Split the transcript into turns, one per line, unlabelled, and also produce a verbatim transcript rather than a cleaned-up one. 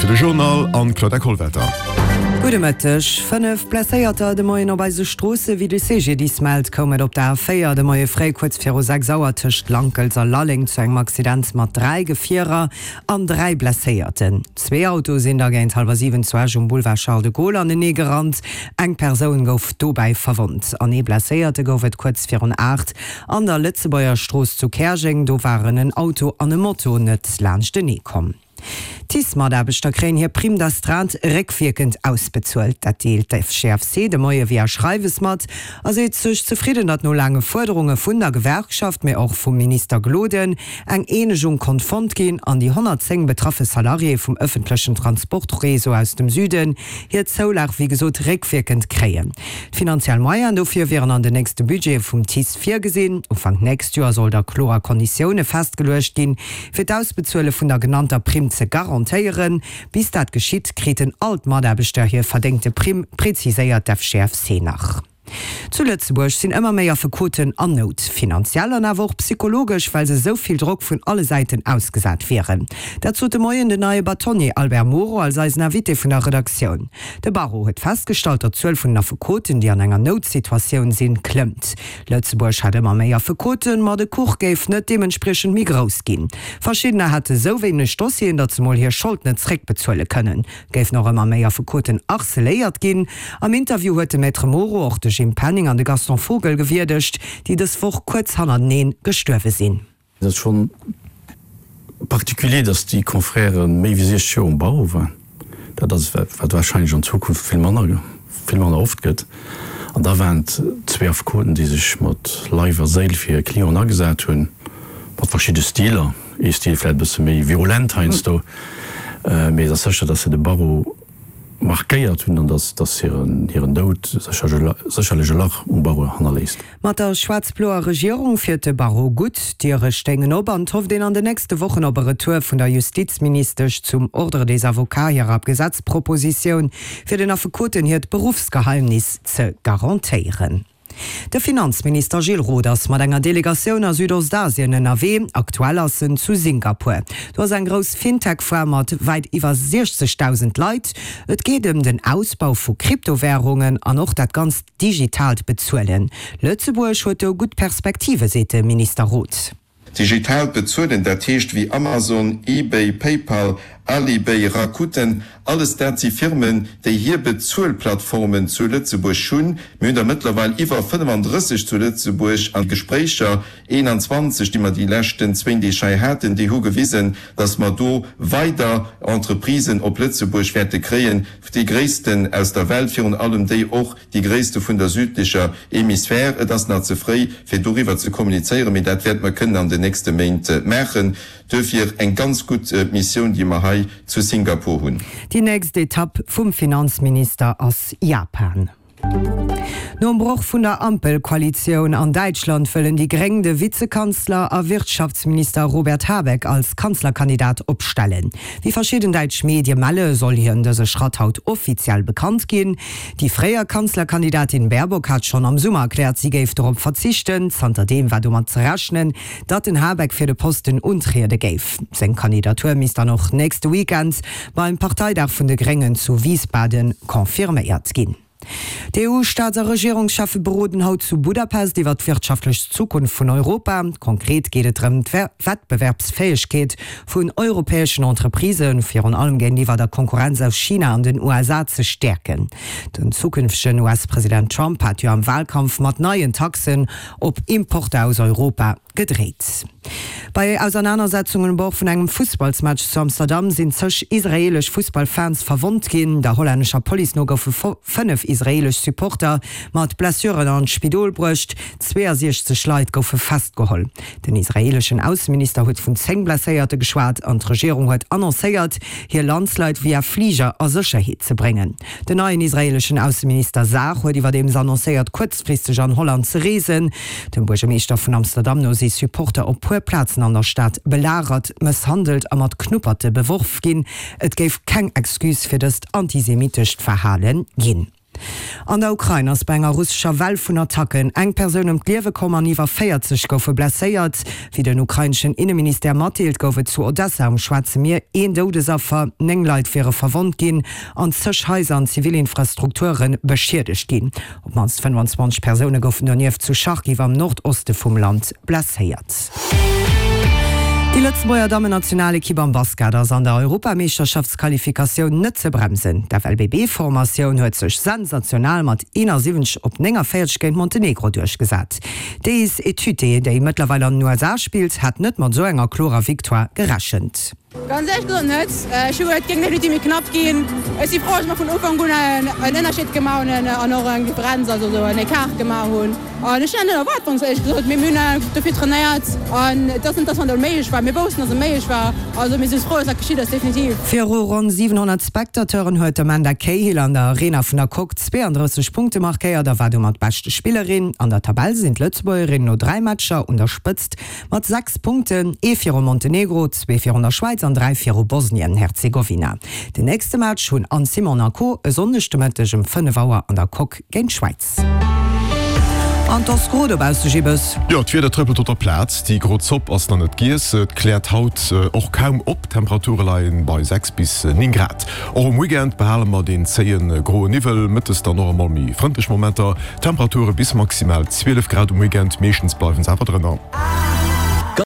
Zäit fir de Journal an d'Clauda Kollwetter.
Gudde Mëtteg. Fënnef Blesséierter de Moien op eise Stroosse. Wéi de C G D I S mellt, koum et op der A véier de Moie fréi kuerz viru sechs Auer tëscht Lankels a Lalleng zu engem Accident mat dräi Gefierer an dräi Blesséierten. Zwee Autoe sinn da géint hallwer siwen zu Esch um Boulevard Charles de Gaulle anenee gerannt. Eng Persoun gouf dobäi verwonnt. An ee Blesséierte gouf et kuerz virun aacht an der Lëtzebuerger Strooss zu Käerjeng. Do waren en Auto an e Moto net laanschtenee komm. D'T I C E-Mataarbechter kréien hir Prime d'astreinte réckwierkend ausbezuelt. Dat deelt d'F G F C de Moie via Schreiwes mat a seet sech zefridden, datt no laange Fuerderunge vun der Gewerkschaft, mee och vum Minister Gloden, eng Eenegung konnt fonnt ginn an déi honnertzéng betraffe Salariéë vum ëffentlechen Transportreseau aus dem Süden hir Zoulag wéi gesot réckwierkend kréien. D'finanziell Moyenen dofir wieren an den nächste Budgete vum T I C E virgesinn. Ufank nächst Joer soll da kloer Konditioune festgeluecht ginn, fir d'Ausbezuele vun der genannter Primm ze garantéieren. Bis dat geschitt, kriten all d'Mataarbechter hir verdéngte Primm, präziséiert d'F G F C nach. Zu Lëtzebuerg sinn ëmmer méi Affekoten an Nout, finanziell an awer och psychologesch, well se esou vill Drock vun alle Säiten ausgesat wieren. Dat sot de Moien den neie Bâtonnier Albert Moro als eisen Invité vun der Redaktioun. De Barreau huet festgestallt, datt d'Zuel vun den Affekoten, déi an enger Noutsituatioun sinn, klëmmt. Lëtzebuerg hätt ëmmer méi Affekoten, ma de Kuch géif net deementspriechend méi grouss ginn. Verschiddener hätte sou wéineg Dossieren, datt se mol hir Schold net zréckbezuele kënnen. Géifen och ëmmer méi Affekoten harceléiert ginn. Am Interview huet de Maître Moro och de Jim Penning an de Gaston Vogel gewierdegt, déi dës Woch kuerz hannerteneen gestuerwe sinn.
Dat ass schonn particulier, dass déi Confrèrë méi wéi siechzeg Joer um Barreau waren. Dat ass wat warscheinlech an Zukunft vill manner vill manner oft gëtt. An da waren et zwee Affekoten, déi sech mat Leif a Séil fir hir Clienten agesat hunn, mat verschidde Stiler, ee Stil vläicht e bësse méi virulent heiansdo, mee et ass sécher, dass se de Barreau markéiert hunn an dass dass hiren hiren Doud sécherlech e Lach um Barreau hannerléisst.
Mat der schwaarz-bloer Regierung fiert de Barreau gutt, d'Diere stéingen op an et hofft een an den nächste Wochen op e Retour vun der Justizministesch zum Ordre des Avocats hirer Gesetzpropositioun, fir den Affekoten hiert Beruffsgeheimnis ze garantéieren. De Finanzminister Gilles Roth ass mat enger Delegatioun a Südostasien ënnerwee. Aktuell ass en zu Singapur. Do ass eng grouss Fintech-Foire mat wäit iwwer siechzegdausend Leit. Et geet ëm den Ausbau vu Kryptowärungen an och dat ganzt digitaalt Bezuelen. Lëtzebuerg huet do gutt Perspektive, seet de Minister Roth.
Digitaalt Bezuelen, dat heescht wéi Amazon, eBay, PayPal, Alipay, Rakuten, alles dat si Firmen, déi hir Bezuelplattformen zu Lëtzebuerg hunn. Mir hunn der mëttlerweil iwwer fënnefandrësseg zu Lëtzebuerg an d'Gespréicher, eenanzwanzeg, déi mer déi leschten zwéin Deeg hei haten, déi hu gewisen, dass mer do weider Entreprisen op Lëtzebuerg wäerte kréien, déi gréissten aus der Welt, virun allem déi och déi gréisste vun der südlecher Hemisphär. Et ass nach ze fréi, fir doriwwer ze kommunizéieren, mee dat wäerte mer kënnen an den nächste Méint maachen. Duerfir eng ganz gutt Missioun, déi mer hei zu Singapur hunn.
Déi nächst Etapp vum Finanzminister ass Japan. Nom Broch vun der Ampelkoalitioun an Däitschland wëllen déi Gréng de Vizekanzler a Wirtschaftsminister Robert Habeck als Kanzlerkandidat opstellen. Wéi verschidden däitsch Medie melle soll hien dëse Schratt haut offiziell bekannt ginn. Déi fréier Kanzlerkandidatin Baerbock hat schonn am Summer erkläert, si géif dorop verzichten. Zanterdeem war domat ze rechnen, datt den Habeck fir de Posten untriede géif. Seng Kandidatur misst dann och nächste Weekend beim Parteidag vun de Gréngen zu Wiesbaden confirméiert ginn. D'E U-Staats a Regierungscheffe beroden haut zu Budapest iwwer d'wirtschaftlech Zukunft vun Europa. Konkret geet et drëm, d'Wettbewerbsfäegkeet vun europäeschen Entreprisen, virun allem géintiwwer der Konkurrenz aus China an den U S A ze stäerken. Den zukünftegen U S-President Trump hat jo am Walkampf mat neien Taxen op Importer aus Europa gedreet. Bei Ausernanersetzungen um Bord vun engem Fussballsmatch zu Amsterdam sinn zeg israeelesch Fussballfans verwonnt ginn. Der hollännescher Police no goufe fënnef israeelesch Supporter mat Blessuren an d'Spidol bruecht. zweeësiechzeg Leit goufe festgeholl. Den israeeleschen Ausseminister huet vun zéng Blesséierte geschwat an d'Regierung huet annoncéiert, hir Landsleit via Fliger a Sécherheet ze bréngen. Den neien israeeleschen Ausseminister Saar huet iwwerdeems annoncéiert, kuerzfristeg an Holland ze reesen. Dem Buergermeeschter vun Amsterdam no si Supporter op puer Plazen an der Stad belagert, mësshandelt a mat Knupperte beworf ginn. Et géif keng Excuse fir dëst antisemitescht Verhale ginn. An der Ukrain ass bei enger russescher Well vun Attacken eng Persoun ëm d'Liewe komm an iwwer véierzeg goufe blesséiert. Wéi den ukraineschen Inneministère matdeelt, gouf et zu Odessa um Schwaarze Mier een Doudesaffer, néng Leit wiere verwonnt ginn an zeg Haiser an zivil Infrastrukture beschiedegt ginn. Op d'mannst fënnwanzwanzeg Persoune goufen donieft zu Charkiw am Nordoste vum Land blesséiert. Déi Lëtzebuerger Dammennationalekipp am Basket ass an der Europameeschterschaftsqualifikatioun net ze bremsen. D'F L B B Formatioun huet sech sensational mat eenasiwwenzeg op néngavéierzeg géint Montenegro duerchgesat. D'Deis Etute, déi mëttlerweil an den U S A spillt, hat net mat esou enger klorer Victoire gerechent.
Ganz éierlech gesot net. Ech hu geduet, et géing definitiv méi knapp ginn. Ech si frou, dass mer vun Ufank un en Ënnerscheed gemaach hunn an och eng Differenz, also esou en Ecart gemaach hunn. An ech hunn dat net erwaart, ganz éierlech gesot. Mee mir hunn dofir trainéiert an et ass net, dass mer onméiglech war. Mir woussten, dass et méiglech war. Also mir si frou, dass dat geschitt ass, definitiv.
Viru ronn siwenhonnert Spectateuren huet d'Amanda Cahill an der Arena vun der Coque zweeandrësseg Punkte markéiert a war domat beschte Spillerin. An der Tabell sinn d'Lëtzebuergerinnen no dräi Matcher un der Spëtzt mat sechs Punkten, ee viru Montenegro, zwee virun der Schwäiz an dräi viru Bosnien-Herzegowina. Den nächste Match hunn Anne Simon a Co. E Sonndeg de Mëtteg um fënnef Auer an der Coque géint d'Schwäiz. An 't ass gro dobausse, Gibbes.
Jo, d'Wieder trëppelt op der Plaz. Déi gro Zopp ass nach net giess. Et kläert haut och kaum op, d'Temperature leie bei sechs bis néng Grad. Och um Weekend behale mer deen zéie groe Niwwel, mëttes dann och emol méi frëndlech Momenter. Temperature bis maximal zwielef Grad um Weekend, meeschtens bleiwen se awer drënner.